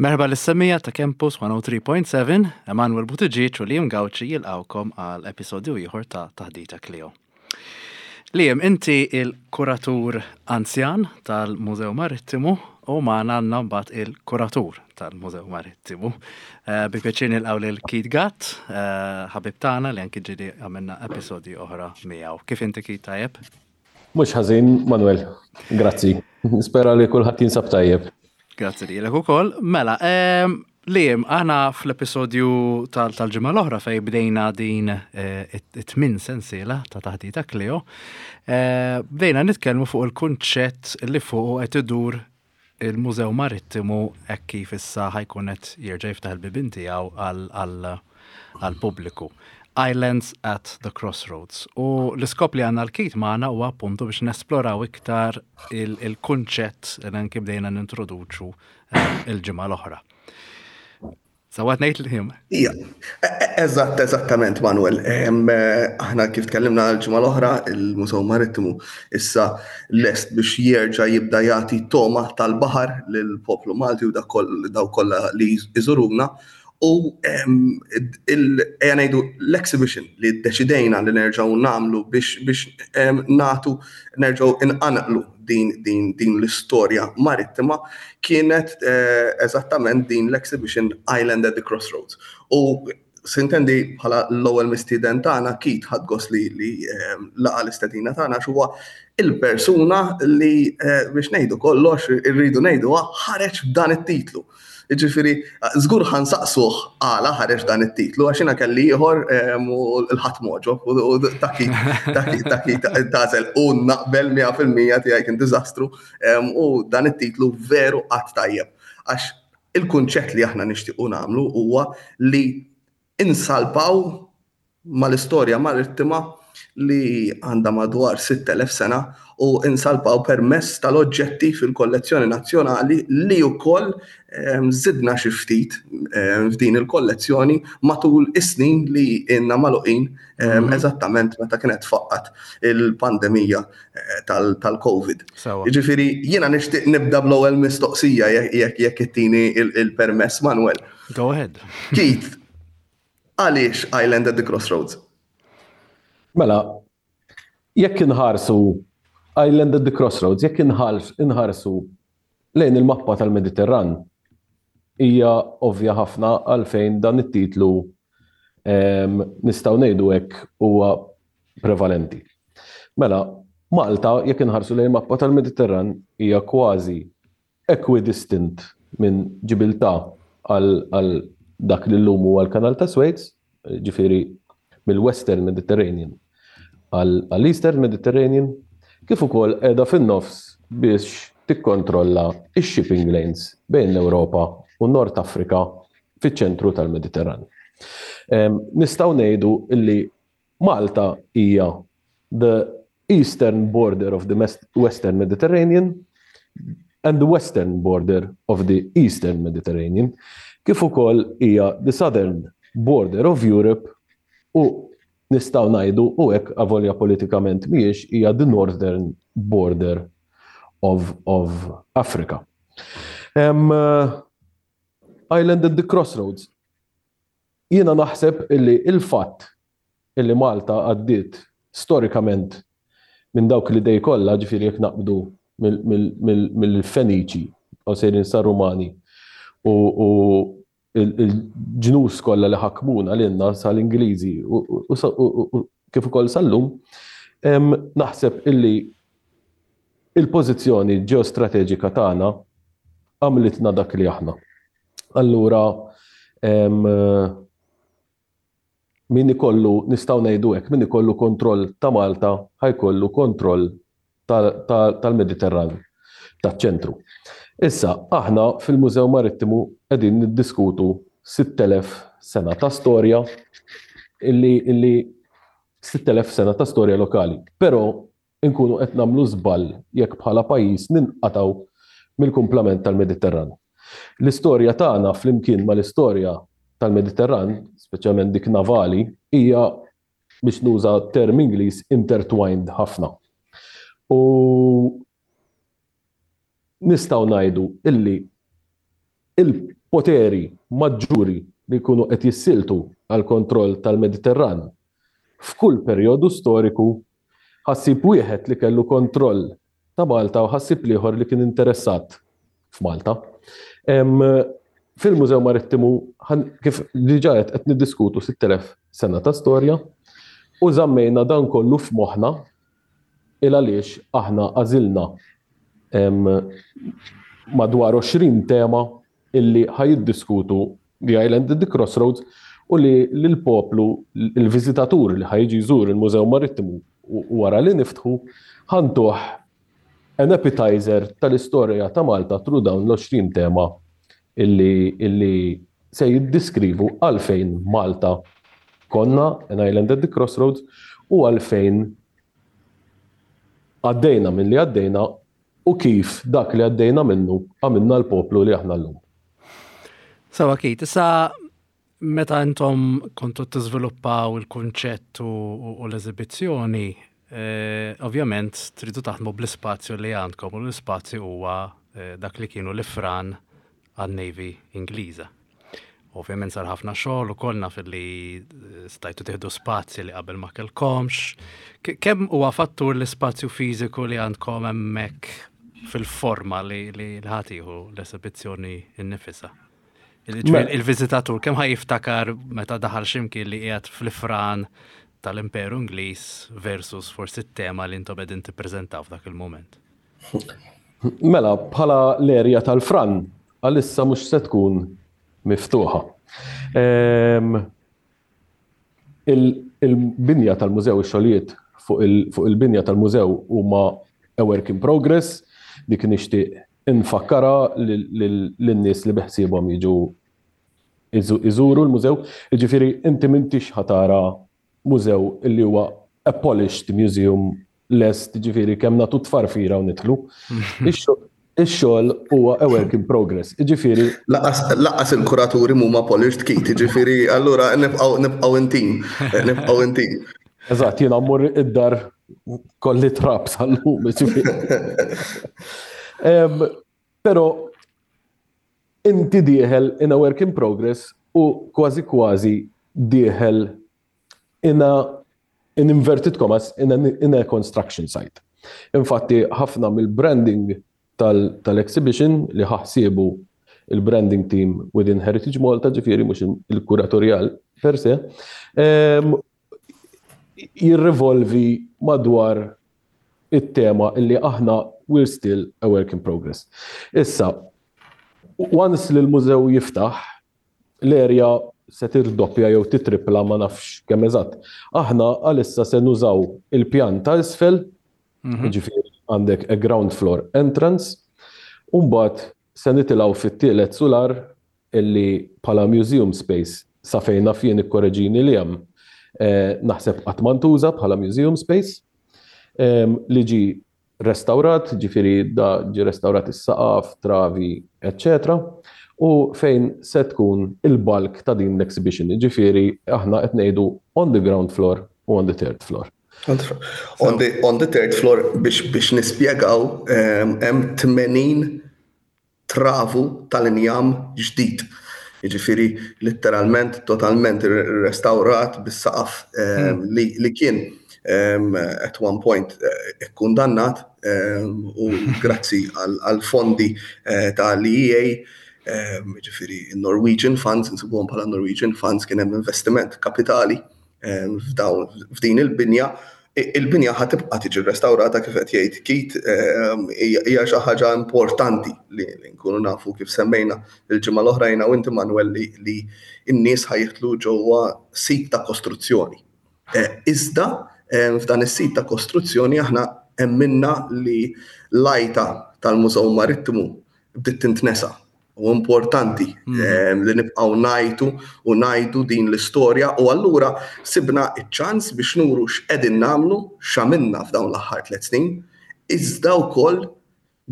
Merħba lis-semmiegħa ta' Campus 103.7, Emanuel Buttigieg u Liam Gauci jilqgħukom għal episodju ieħor ta' Taħdita Clio. Liam, inti il-kuratur anzjan tal-Mużew Marittimu u magħna għandna mbagħad il-kuratur tal-Mużew Marittimu. Eh, bi pjaċir nilqgħu lil Keith Gatt, eh, ħabib tagħna li anki ġieli għamilna episodji oħra miegħu. Kif inti Keith tajjeb? Mhux ħażin, Manuel. Grazzi. Nispera li kulħadd jinsab tajjeb. Grazzi lilek ukoll. Mela, ehm, Liam, aħna fl-episodju tal-ġimgħa l-oħra fej bdejna din eh, it-tmin sensiela ta' taħdita Cleo, eh, bdejna nitkellmu fuq il-kunċett li fuq qed idur il-Mużew Marittimu hekk kif issa ħa jkun qed jerġa' jiftaħ il-bibien tiegħu għall-pubbliku. Islands at the Crossroads. U l-iskop li għandna l-Keith magħna huwa appuntu biex nesploraw iktar il-kunċett li anki bdejna nintroduċu eh, il-ġimgħa l-oħra. Sewwa ngħid Liam? Ija, e, e, eżatt, eżattament, Manuel. Eh, aħna kif tkellimna l-ġimgħa l-oħra, il-Mużew Marittimu issa lest biex jerġa' jibda jagħti toma tal-baħar lill-poplu Malti u daw kollha li jżuruna. U ejja ngħidu l-exhibition li ddeċidejna li nerġgħu nagħmlu biex nagħtu nerġgħu inqanqlu din, din, din l-istorja marittima kienet eh, eżattament din l-exhibition Island at the Crossroads. U sintendi bħala l-ewwel mistieden tagħna Keith ħadd gost li, li eh, laqa l-istedina tagħna huwa il-persuna li eh, biex ngħidu kollox irridu ngħidu ħareġ b'dan it-titlu. Jiġifieri, żgur ħa nsaqsuh għala ħareġ dan it-titlu għax jiena kelli ieħor u l-ħadd moġob u taki taki taki tażel u naqbel 100% tiegħi kien diżastru u dan it-titlu veru qatt tajjeb. Għax il-kunċett li aħna nixtiequ nagħmlu huwa li insalpaw mal-istorja marittima li għandha madwar 6,000 sena u insalpaw permezz tal-oġġetti fil-kollezzjoni nazzjonali li wkoll ehm, żidna xi ftit ehm, f'din il-kollezzjoni matul is-snin li ilna magħluqin ehm, mhm. eżattament meta kienet faqqat il-pandemija eh, tal-COVID. Jiġifieri jiena nixtieq nibda bl-ewwel mistoqsija jekk jekk ittini il-permess Manuel. Go ahead. Keith, Għaliex Island at the Crossroads? Mela, jekk inħarsu Island at the Crossroads, jekk inħarsu lejn il-mappa tal-Mediterran, hija ovvja ħafna għalfejn dan it-titlu ehm, nistgħu ngħidu hekk huwa prevalenti. Mela, Malta, jekk inħarsu lejn mappa tal-Mediterran, hija kważi equidistant minn Ġibiltà għal dak li llum huwa l-Kanal ta' Suez, ġifieri mill-Western Mediterranean għall-Eastern Mediterranean, kif ukoll qiegħda fin-nofs biex tikkontrolla x-shipping lanes bejn l-Ewropa u Nord Afrika fiċ-ċentru tal-Mediterran. Nistgħu ngħidu li Malta hija the eastern border of the Western Mediterranean and the western border of the Eastern Mediterranean, kif ukoll hija the southern border of Europe u nistgħu ngħidu u hekk avolja politikament mhijiex hija the northern border of, of Africa. Um, Island at the Crossroads. Jiena naħseb illi il-fatt illi Malta għaddiet storikament minn dawk l-idej kollha, ġifieri jekk naqbdu mill-Feniċi u sejrin sar-Rumani u l-ġnus kollha li ħakmuna lilna sal-Ingliżi u kif ukoll sal-lum, naħseb illi il-pożizzjoni ġeostrateġika tagħna għamlitna dak li aħna. Allura min ikollu, nistgħu ngħidu hekk, min ikollu kontroll ta' Malta ħa jkollu kontroll tal-Mediterran, taċ-ċentru. Issa, aħna fil-Mużew Marittimu qegħdin niddiskutu 6,000 sena ta' storja illi illi 6,000 sena ta' storja lokali. Però inkunu qed nagħmlu żball jekk bħala pajjiż ninqatgħu mill-kumplament tal-Mediterran. L-istorja tagħna flimkien mal-istorja tal-Mediterran, speċjalment dik navali, hija biex nuża term Ingliż intertwined ħafna. U nistgħu ngħidu illi poteri maġġuri li jkunu qed jissieltu għall-kontroll tal-Mediterran f'kull perjodu storiku, ħa ssib wieħed li kellu kontroll ta' Malta u ħa ssib l-ieħor li kien interessat f'Malta. Fil-Mużew Marittimu, kif diġà għedt, qed niddiskutu 6,000 sena ta' storja u żammejna dan kollu f'moħħna il għaliex aħna għażilna madwar 20 tema illi ħa jiddiskutu The Island at the Crossroads u li l-poplu, il-viżitatur li ħa jiġi jżur il-Mużew Marittimu wara li niftħu, ħa ntuh an appetizer tal-istorja ta' Malta through dawn l-20 tema illi, illi se jiddiskrivu għalfejn Malta konna an island at the crossroads u għalfejn għaddejna minn li għaddejna u kif dak li għaddejna minnu għamilna l-poplu li aħna llum. Sawa Keith, issa meta intom kontu tiżviluppaw il-kunċett u l-eżibizzjoni, eh, ovvjament tridu taħdmu bl-ispazju li għandkom u l-ispazju huwa eh, dak li kienu l-ifran għan-Navy Ingliża. Ovvjament sar ħafna xogħol ukoll naf li eh, stajtu tieħdu spazji li qabel ma kellkomx. Kemm huwa fattur l-ispazju fiżiku li għandkom hemmhekk fil-forma li li ħatiħu l-esibizzjoni innifisha? Mela. Il-viżitatur kemm ħaj jiftakar meta daħal x'imkien li qiegħed fl-ifran tal-Imperu Ingliż versus forsi t-tema li intom qegħdin tippreżentaw f'dak il-mument? Mela, bħala l-erja tal-fran, għalissa mhux se tkun miftuħa. Ehm, il-binja tal-mużew, ix-xogħlijiet fuq il-binja tal-mużew huma a work in progress, dik nixtieq infakkara lin-nies li beħsiebhom jiġu iżuru l-mużew. Jiġifieri inti m'intix ħatara mużew illi huwa a polished museum lest, ġifieri kemm nagħtu tfarfira u nidħlu. Ix-xogħol huwa a work in progress. Ġifieri. Laqas il-kuraturi mhuma polished kit, ġifieri allura nibqgħu nibqgħu intim, nibqgħu intim. Eżatt, jiena mmur id-dar kolli trab sal-lum, ġifieri. Però inti dieħel in a work in progress u kważi kważi dieħel in a in inverted commas in a, in a construction site. Infatti ħafna mill-branding tal-exhibition tal li ħaħsiebu il-branding team within Heritage Malta, ġifieri mhux il-kuratorjal per se, ehm, jirrivolvi madwar it-tema illi aħna we're still a work in progress. Issa, once li l-mużew jiftaħ, l-erja se tirdoppja jew titripla ma nafx kemm eżatt. Aħna għalissa se nużaw il-pjan ta' isfel, mhm. ġifieri għandek a ground floor entrance, u mbagħad se nitilgħu fit-tielet sular illi bħala museum space sa fejn naf jien ikkoreġini li hemm eh, naħseb qatt ma ntuża bħala museum space ehm, li ġi restawrat, ġifieri da ġi restawrat is-saqaf, travi, eċċetera, u fejn se tkun il-bulk ta' din l-exhibition, ġifieri aħna qed ngħidu on the ground floor u on the third floor. On the, on the third floor biex, biex nispjegaw ehm, hemm 80 travu tal-injam ġdid. Jiġifieri litteralment totalment restawrat bis-saqaf ehm, hmm. li, li kien ehm, at one point eh, ikkundannat ehm, u grazzi għal fondi eh, tal-EA ġifieri Norwegian Funds, insibuhom bħala Norwegian Funds kien hemm investiment kapitali f'din il-binja. Il-binja ħa tibqa' tiġi rrestawrata kif qed jgħid Keith, hija xi ħaġa importanti li nkunu nafu kif semmejna l-ġimgħa l-oħra jiena u inti Manuel li n-nies ħa jidħlu ġewwa sit ta' kostruzzjoni. Eh, iżda f'dan is-sit ta' kostruzzjoni aħna emminna li l-għajta tal-Mużew Marittimu bdiet tintnesa U importanti mm. ehm, li nibqgħu ngħidu u ngħidu din l-istorja u allura sibna iċ-ċans biex nuru x'qegħdin nagħmlu, x'għamilna f'dawn l-aħħar tliet snin, iżda wkoll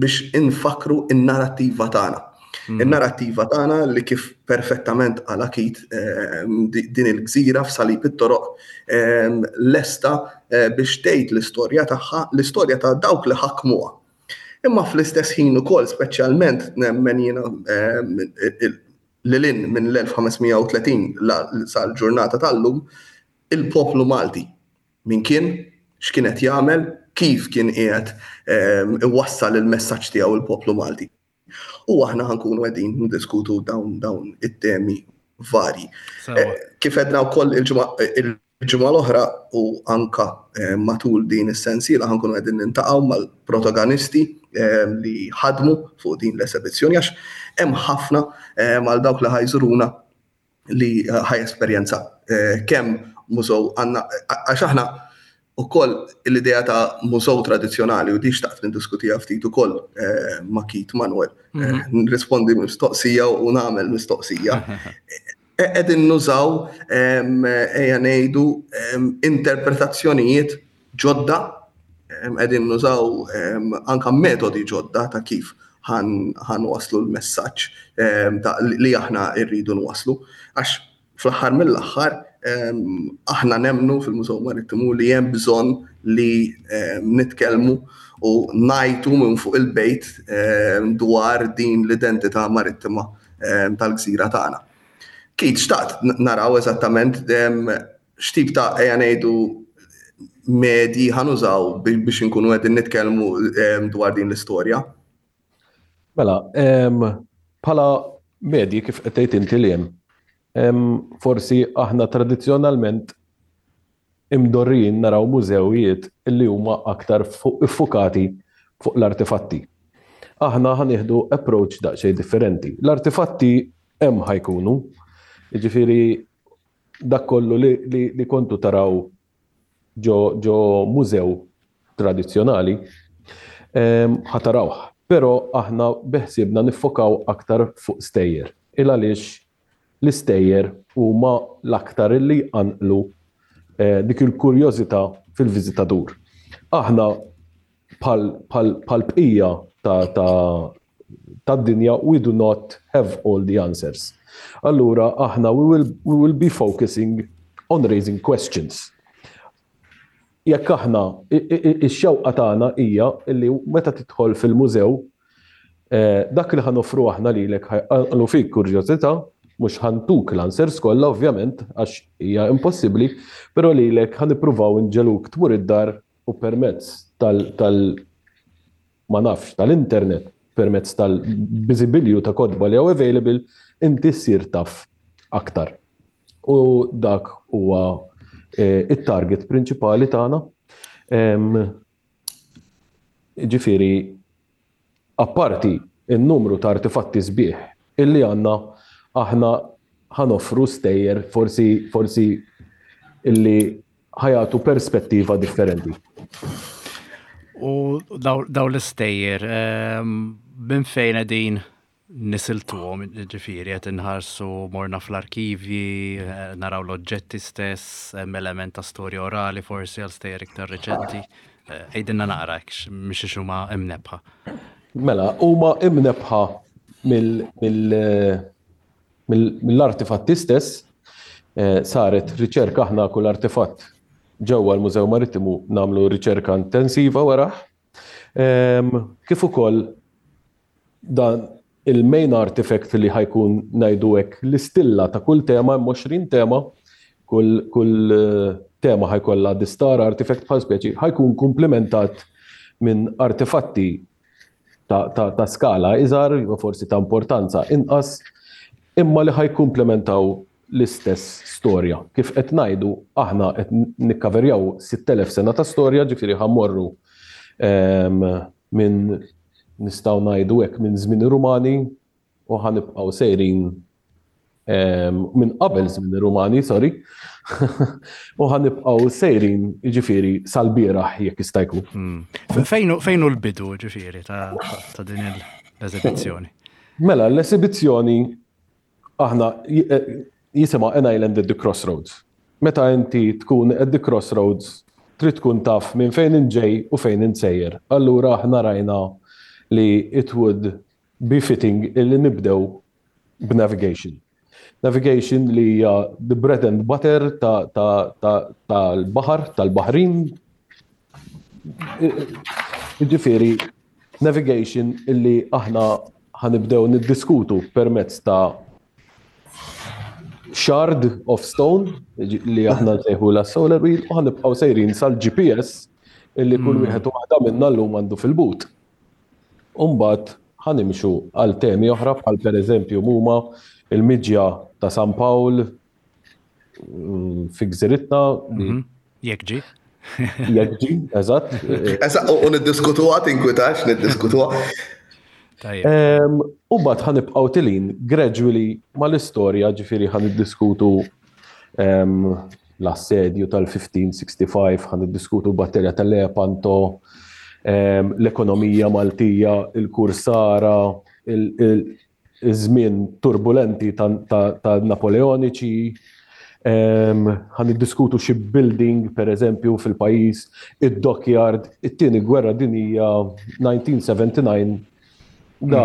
biex infakru in-narrattiva tagħna. Mm. In-narrattiva tagħna li kif perfettament għala Kit ehm, din il-gżira f'salib it-toroq ehm, lesta eh, biex tgħid l-istorja tagħha, l-istorja ta' dawk li ħakmuha. Imma fl-istess ħin ukoll speċjalment nemmen jiena ehm, lil hinn minn l-1530 sal-ġurnata tal-lum, il-poplu Malti. Min kien, x'kien qed jagħmel, kif kien qiegħed iwassal il-messaġġ tiegħu il-poplu Malti. U aħna ħankunu qegħdin niddiskutu dawn dawn it-temi varji. Eh, kif edna wkoll il-ġimgħa l-oħra u anka eh, matul din is-sensiela ħankunu qegħdin nintaqgħu mal-protagonisti eh, li ħadmu fuq din l-esebizzjoni għax hemm ħafna għal dawk li ħajżuruna li ħaj esperjenza kemm mużew għandna għax aħna ukoll l-idea ta' mużew tradizzjonali u di xtaqt niddiskutiha ftit ukoll eh, ma' Keith Manuel. Eh, mhm. Nirrispondi mistoqsija u nagħmel mistoqsija. E, qegħdin nużaw ejja ngħidu interpretazzjonijiet ġodda, qegħdin nużaw anka metodi ġodda ta' kif ħan waslu l-messaġġ li aħna rridu nwaslu. Għax Fl-aħħar mill-aħħar, aħna nemmnu fil-Mużew Marittimu li hemm bżonn li nitkellmu u ngħajtu minn fuq il-bejt dwar din l-identità marittima tal-gżira tagħna. Keith, xtaqt naraw eżattament x'tip ta' ejja ngħidu medji ħanużaw biex inkunu qegħdin nitkellmu dwar din l-istorja. Mela, bħala medji kif qed tgħid inti li hemm, forsi aħna tradizzjonalment imdorrijin naraw mużewijiet li huma aktar iffukati fuq l-artifatti. Aħna ħa nieħdu approach daqsxejn differenti. L-artifatti hemm ħa jkunu, jiġifieri dak kollu li, li, li kontu taraw ġo, ġo mużew tradizzjonali, ħa tarawh. Però aħna beħsiebna niffokaw aktar fuq stejjer. Il għaliex l-istejjer huma l-aktar li jqanqlu eh, dik il-kurjożità fil-viżitatur. Aħna bħal bqija ta' ta' tad-dinja we do not have all the answers. Allura aħna we will, we will be focusing on raising questions. Jekk aħna ix-xewqa tagħna hija li meta tidħol fil-mużew eh, dak li ħa noffru aħna lilek ħajqanqlu fik kurjożità, mhux ħa ntuk l-answers kollha ovvjament għax hija impossibbli, però lilek ħa nippruvaw inġegħluk tmur id-dar u permezz tal, tal ma nafx, tal-internet, permezz tal-biżibilju ta' kotba li hawn available, inti ssir taf aktar. U dak huwa eh, it-target prinċipali tagħna. Ġifieri, apparti n-numru ta' artifatti sbieħ illi għandna, aħna ħa noffru stejjer forsi forsi illi ħa jagħtu perspettiva differenti. U daw l-istejjer, ehm, minn fejn qegħdin nisiltuhom, ġifieri qed inħarsu morna fl-arkivji, eh, naraw l-oġġetti stess, hemm element ta' storja orali forsi għal stejjer iktar reċenti. Eh, għidilna naqra hekk mhix huma imnebħa. Mela, huma imnebħa mill-artifatti stess, eh, saret riċerka aħna kull artifatt ġewwa l-Mużew Marittimu nagħmlu riċerka intensiva warah. Ehm, kif ukoll dan il-main artifact li ħa jkun ngħidu hekk l-istilla ta' kull tema, hemm 20 tema, kull, kull eh, tema ħa jkollha the star artifact bħal speċi, ħa jkun komplementat minn artefatti ta', ta, ta skala iżgħar, jew forsi ta' importanza inqas, imma li ħa jkomplementaw l-istess storja. Kif qed ngħidu, aħna qed nikkaverjaw 6,000 sena ta' storja, ġifieri ħa mmorru ehm, minn nistgħu ngħidu hekk minn żmien Rumani u ħa nibqgħu sejrin ehm, minn qabel żmien Rumani, sorry, u ħa nibqgħu sejrin ġifieri sal-bieraħ jekk jista' jkun. Hmm. Fejn hu l-bidu ġifieri ta' din l-eżibizzjoni? Mela, l-esibizzjoni aħna eh, jisimha An Island at the Crossroads. Meta inti tkun at the crossroads, trid tkun taf minn fejn int ġej u fejn int sejjer. Allura aħna rajna li it would be fitting illi nibdew b'navigation. Navigation li hija the bread and butter tal-baħar, tal-baħrin. Ġifieri, navigation illi aħna ħa nibdew niddiskutu permezz ta' shard of stone li aħna nsejħu la solar wheel u ħanibqgħu sejrin sal-GPS illi kull wieħed u waħda minna llum għandu fil-but. U mbagħad ħa nimxu għal temi oħra bħal pereżempju huma il-miġja ta' San Pawl fi gżiritna. Jekk ġie. Jekk ġie, eżatt. Eżatt, u niddiskutuha, tinkwitax, niddiskutuha. U mbagħad ħa nibqgħu tilin gradually mal-istorja, ġifieri ħa niddiskutu l-assedju tal-1565, ħa niddiskutu l-battalja tal-Lepanto, l-ekonomija Maltija, il-kursara, iż-żmien turbulenti ta' Napoleoniċi, ħa niddiskutu shipbuilding, per eżempju, fil-pajjiż, id-dockyard, it-tieni gwerra dinjija 1979, da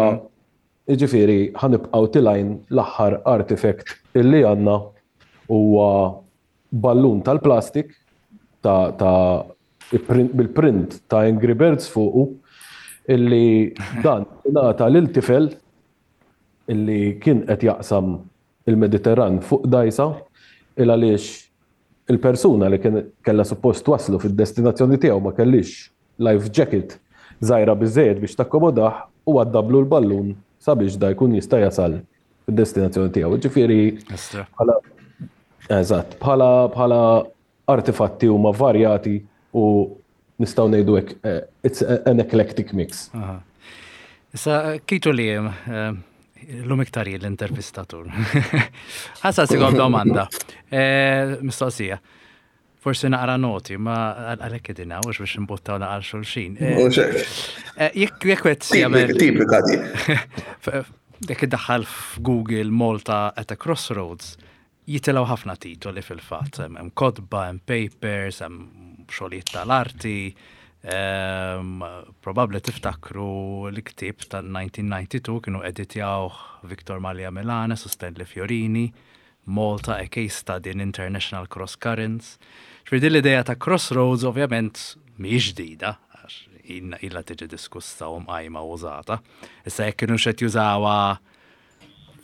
jiġifieri ħa nibqgħu tilgħin l-aħħar artifact illi għandna huwa ballun tal-plastik ta' ta' bil-print ta' Angry Birds fuqu illi dan ingħata lil tifel illi kien qed jaqsam il-Mediterran fuq dgħajsa il għaliex il-persuna li kien kellha suppost twasslu fid-destinazzjoni tiegħu ma kellhiex life jacket żgħira biżżejjed biex takkomodah u għaddablu l-ballun sabiex da jkun jista' jasal fid-destinazzjoni tiegħu. Ġifieri bħala eżatt, bħala bħala artifatti huma varjati u nistgħu ngħidu hekk eh, it's an eclectic mix. Issa kitu li eh, l-lum iktar l-intervistatur. Ħassa sigom domanda. Eh, mistoqsija. Forsi naqra noti, ma għalhekk qegħdin hawn biex imbuttaw naqal xulxin. Jekk jekk qed jagħmel. Tipika di. Jekk iddaħħal f'Google Malta at a Crossroads, jitilgħu ħafna titoli fil-fatt. Hemm kotba, hemm papers, hemm xogħlijiet tal-arti. Probabbli tiftakru l-ktieb tal-1992 kienu editjawh Victor Mallia Milanes u Stanley Fiorini. Malta, a case study in international cross currents. Ġifieri din l-idea ta' crossroads ovvjament mhijiex ġdida, għax ilha tiġi diskussa u mqajma u użata. Issa jekk kienu qed jużawha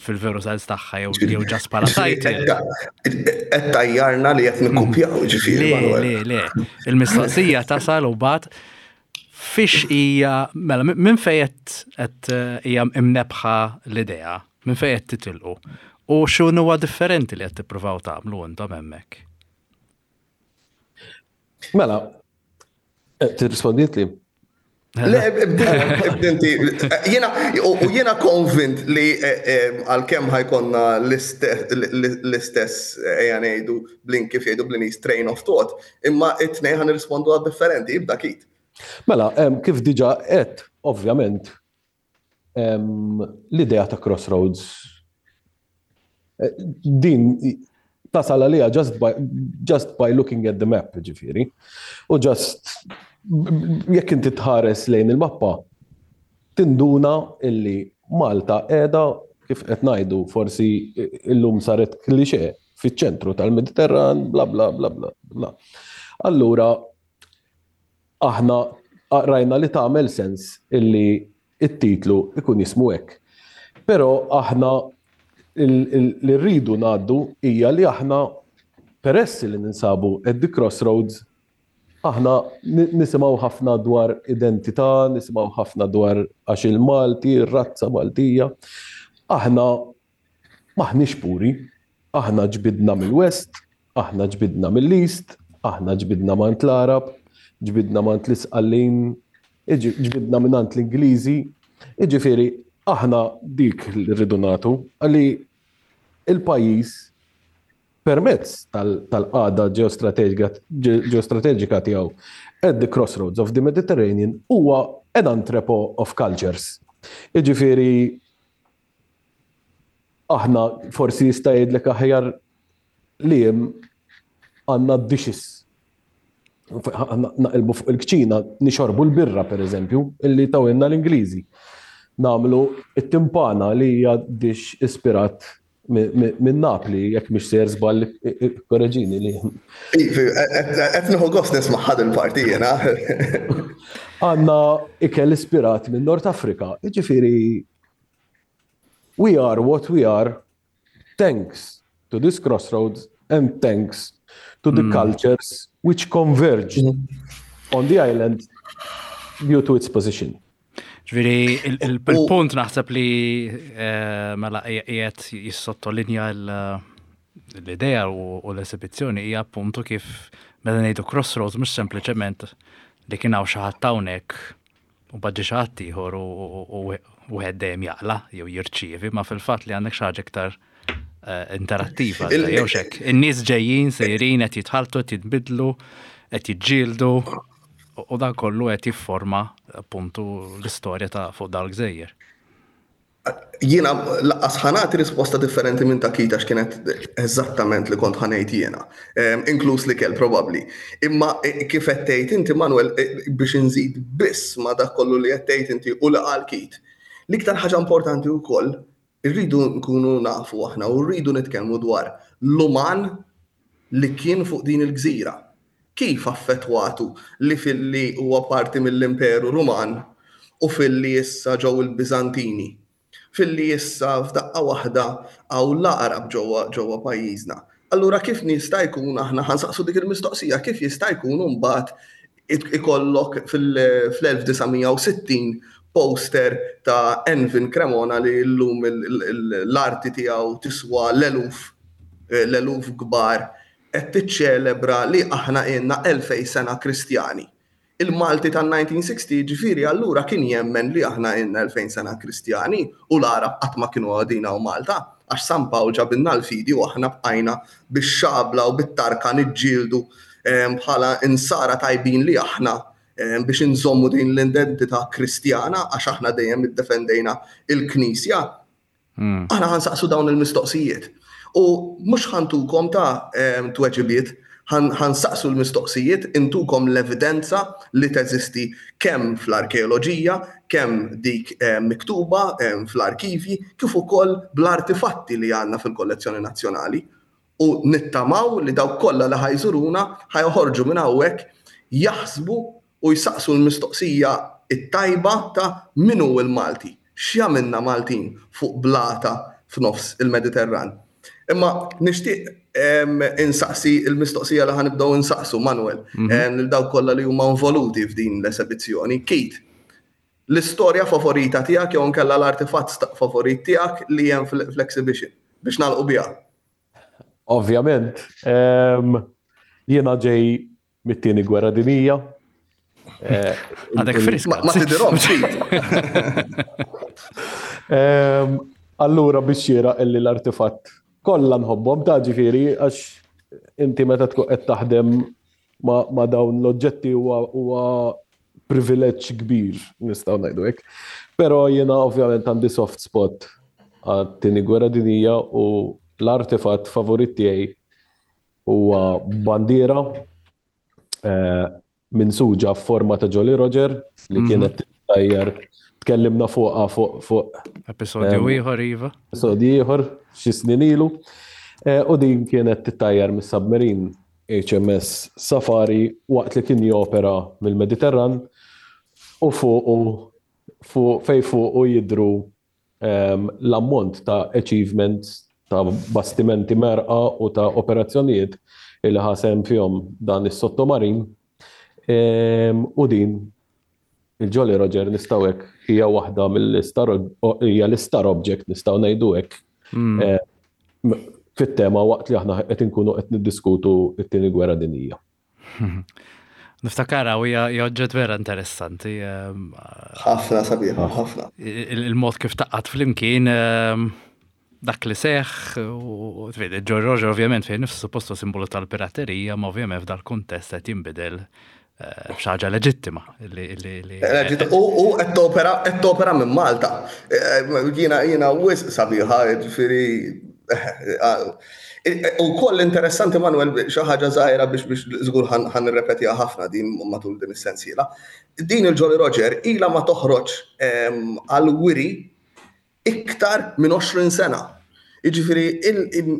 fil-veru sens tagħha jew jew ġas bħala title. Qed tajjarna li qed nikkupjaw ġifieri. Le, le, le. Il-mistoqsija tasal u bat fiex hija mela minn fejn qed hija imnebħa l-idea Minn fejn qed titilqu? U x'inhuwa differenti li qed tippruvaw tagħmlu intom hemmhekk? Mela, eh, tirrispondiet li? Le, ibdinti, jena, u jena konvint li eh, eh, għal-kem ħajkonna l-istess ejja ngħidu blin kif jgħidu blin train of thought, imma it-tnej ħan rispondu għad differenti, ibda kit. Mela, kif diġa qed, ovvjament, L-idea ta' crossroads eh, din tasal għalija just by, just by looking at the map, ġifiri. U just jekk inti tħares lejn il-mappa, tinduna illi Malta qiegħda kif qed ngħidu forsi illum saret klixe fiċ-ċentru tal-Mediterran, bla bla bla bla bla. Allura Aħna rajna li tagħmel sens illi t-titlu ikun jismu hekk. Però aħna li rridu ngħaddu hija li aħna peress li ninsabu at the crossroads aħna nisimgħu ħafna dwar identità, nisimgħu ħafna dwar għax il-Malti, ir-razza Maltija. Aħna M'aħniex puri. Aħna ġbidna mill-West, aħna ġbidna mill-East, aħna ġbidna m'għand l-Għarab, ġbidna m'għand l-Isqallin, ġbidna mingħand l-Ingliżi. Jiġifieri aħna dik li rridu nagħtu li l-pajjiż permezz tal-qagħda ġeostrateġika tiegħu at the crossroads of the Mediterranean huwa an entrepot of cultures. Jiġifieri Aħna forsi jista' jgħidlek aħjar li hemm għandna dishes. Naqilbu fuq il-kċina, nixorbu l-birra per eżempju, illi tawilna l-Ingliżi. Namlu it-timpana li hija dish ispirat minn Napli, jekk mhix sejjer żball korreġini li. Qed nieħu gost nisma' ħad il-parti jiena. Għandna ikel ispirat minn Nord Afrika, jiġifieri We are what we are thanks. to this crossroads and thanks to the mm. cultures which converged mm. on the island due to its position. Ġviri, il-punt naħseb li eh, mela qiegħed jissottolinja l-idea u l-esibizzjoni hija appuntu kif meta ngħidu crossroads mhux sempliċement li kien hawn xi ħadd hawnhekk u baġġi xi ħadd ieħor u wieħed dejjem jaqla jew jirċievi, ma fil-fatt li għandek xi ħaġa iktar eh, interattiva, jew xek. In-nies ġejjin, sejrin, qed jitħaltu, qed jitbidlu, qed jiġġieldu u dan kollu qed jifforma appuntu l-istorja ta' fuq dal-gżejjer. Jiena laqqas ħa nagħti risposta differenti minn ta' Keith għax kienet eżattament li kont ħa ngħid jiena, inkluż l-ikel probabbli. Imma e, kif qed tgħid inti Manuel e, biex inżid biss ma' dak kollu li qed tgħid inti u li qal Keith. L-iktar ħaġa importanti wkoll irridu nkunu nafu aħna u rridu nitkellmu dwar l-uman li kien fuq din il-gżira. Kif affettwatu li filli huwa parti mill-Imperu Ruman u filli issa ġew il-Biżantini, filli issa f'daqqa waħda hawn l-Għarab ġewwa ġewwa pajjiżna. Allura kif jista' jkun aħna ħa nsaqsu dik il-mistoqsija, kif jista' jkun imbagħad ikollok fil-1960 poster ta' Envin Cremona li llum l-arti tiegħu tiswa l-eluf l-eluf kbar qed tiċċelebra li aħna ilna 2000 sena Kristjani. Il-Malti tan-1960 jiġifieri allura kien jemmen li aħna ilna 2000 sena Kristjani u l-Għarab qatt ma kienu qegħdin hawn Malta għax San Pawl ġabilna l-fidi u aħna bqajna bix-xabla u bit-tarka niġġieldu bħala Insara tajbin li aħna biex inżommu din l-identità Kristjana għax aħna dejjem iddefendejna l-Knisja. Hmm. Aħna ħansaqsu dawn il-mistoqsijiet. U mhux ħantukom ta' tweġibiet, ħansaqsu l-mistoqsijiet, intukom l-evidenza li teżisti kemm fl-arkeoloġija, kemm dik miktuba fl-arkivji, kif ukoll bl-artifatti li għandna fil-kollezzjoni nazzjonali. U nittamaw li dawk kollha li ħajżuruna ħajħorġu minn hawnhekk jaħsbu u jsaqsu l-mistoqsija t-tajba ta' min hu l-Malti, x'jagħmilna Maltin fuq blata f'nofs il-Mediterran. Imma nixtieq insaqsi l-mistoqsija li ħa nibdew insaqsu, Manuel, mhm. lil dawk kollha li huma involuti f'din l-esebizzjoni. Keith, l-istorja favorita tiegħek jew inkella l-artifatt favorit tiegħek li hemm fl-exhibition biex nagħlqu biha. Ovvjament, jiena ġej mit-tieni gwerra dinija. Eh, Għadek friska. Ma tidirhom ehm, allura biex jira illi l-artifatt kollha nħobbhom ta' ġifieri għax inti meta tkun qed taħdem ma' dawn l-oġġetti huwa privileġġ kbir, nistgħu ngħidu hekk. Però jiena ovvjament għandi soft spot għat-tieni gwerra dinija u l-artifatt favorit tiegħi Huwa bandiera eh, minsuġa f'forma ta' Jolly Roger li mhm. kienet tajjar tkellimna fuqha fuq fuq episodju eh, ieħor iva. Episodju ieħor xi snin ilu. Eh, u din kienet tittajjar mis-submarine HMS Safari waqt li kien jopera mill-Mediterran u fuqu fuq fej fuqu jidru l-ammont ta' achievements ta' bastimenti merqa u ta' operazzjonijiet li ħa sehem fihom dan is-sottomarin u din il-Jolly Roger nistgħu hekk hija waħda mill-star hija l-star object nistgħu ngħidu hekk hmm. eh, fit-tema waqt li aħna qed inkunu qed niddiskutu t-tieni gwerra dinjija. Niftakara u hija oġġett vera interessanti. Ehm, ħafna sabiħa, ħafna. Il-mod kif taqqat flimkien ehm, dak li seħ u trid George Roger ovvjament fejn nifsu suppostu simbolu tal-piraterija, ma ovvjament f'dal kuntest qed jinbidel eh, f'xi ħaġa leġittima. U qed topera qed topera minn Malta. Eh, jiena jiena wisq sabiħa, ġifieri U koll interessanti Manuel xi ħaġa żgħira biex biex żgur ħan nirrepetiha ħafna din matul din is-sensiela. Din il-Jolly Roger ilha ma toħroġ ehm, għal wiri iktar minn 20 sena. Jiġifieri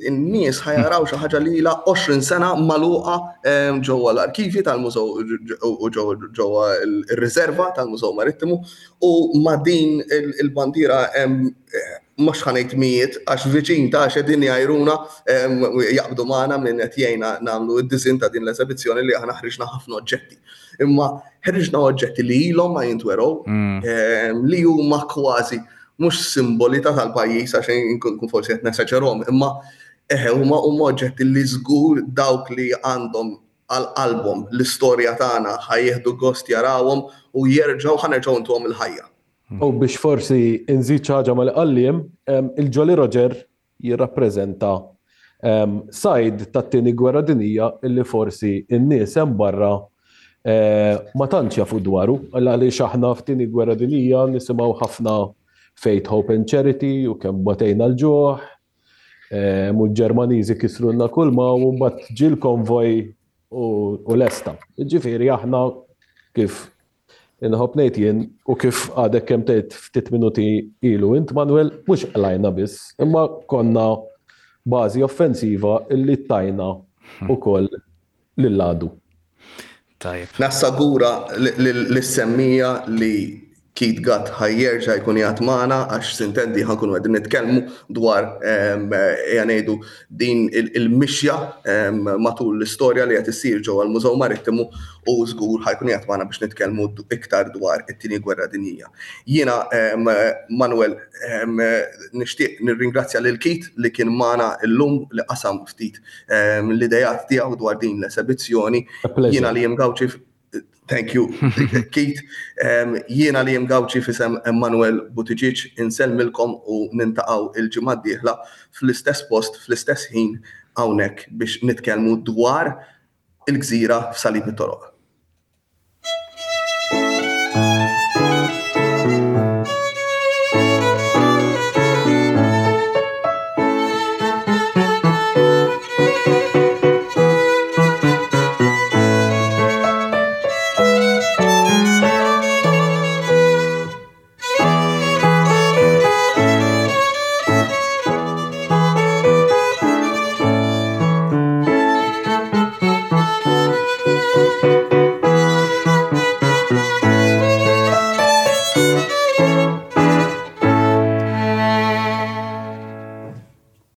in-nies ħajaraw xi ħaġa li ilha 20 sena magħluqa ehm, ġewwa l-arkivji tal-mużew u ġewwa r-riserva tal-Mużew Marittimu u ma' din il-bandiera hemm eh, mhux ħa ngħid mijiet għax viċin ta' qegħdin jgħajruna jaqbdu magħna minn qed jgħinna nagħmlu d-disinn ta' din l-esebizzjoni li aħna ħriġna ħafna oġġetti. Imma ħriġna oġġetti li ilhom ma jintwerow li huma kważi mhux simboli ta' tal-pajjiż għax inkun forsi qed nesaġerhom, imma eħe huma huma oġġetti li żgur dawk li għandhom għal qalbhom l-istorja tagħna ħa jieħdu gost jarawhom u jerġgħu ħa nerġgħu ntuhom il-ħajja. U biex forsi nżid xi ħaġa ma' li qal Liam, il-Jolly Roger jirrappreżenta sajd tat-Tieni Gwerra Dinjija illi forsi n-nies hemm barra ma tantx jafu dwaru, għaliex aħna f'Tieni Gwerra Dinjija nisimgħu ħafna Faith, Hope and Charity u kemm batejna l-ġuħ, u l-Ġermaniżi kisrulna kulma u mbagħad ġie l-konvoj u lesta. Ġifieri aħna kif Inħobb ngħid jien u kif għadek kemm tgħid ftit minuti ilu int Manuel, mhux qlajna biss, imma konna bażi offensiva illi tajna ukoll lill-għadu. Tajjeb. Nassagura lis-semmiegħa li Keith Gatt ħa jerġa' jkun qiegħed magħna għax sintendi ħa nkunu qegħdin nitkellmu dwar ejja ngħidu din il-mixja matul l-istorja li qed issir ġewwa l-Mużew Marittimu u żgur ħa jkun qiegħed magħna biex nitkellmu iktar dwar it-Tieni Gwerra Dinjija. Jiena Manuel nixtieq nirringrazzja lil Keith li kien magħna llum li qasam ftit l-ideat tiegħu dwar din l-esebizzjoni. Jiena li jiem Gauci Thank you, Keith. Jiena li jiem Gauci fisem Emmanuel Buttigieg insellmilkom u nintaqgħu il-ġimgħa d-dieħla fl-istess post, fl-istess ħin hawnhekk biex nitkellmu dwar il-gżira f'Salib it-Toroq.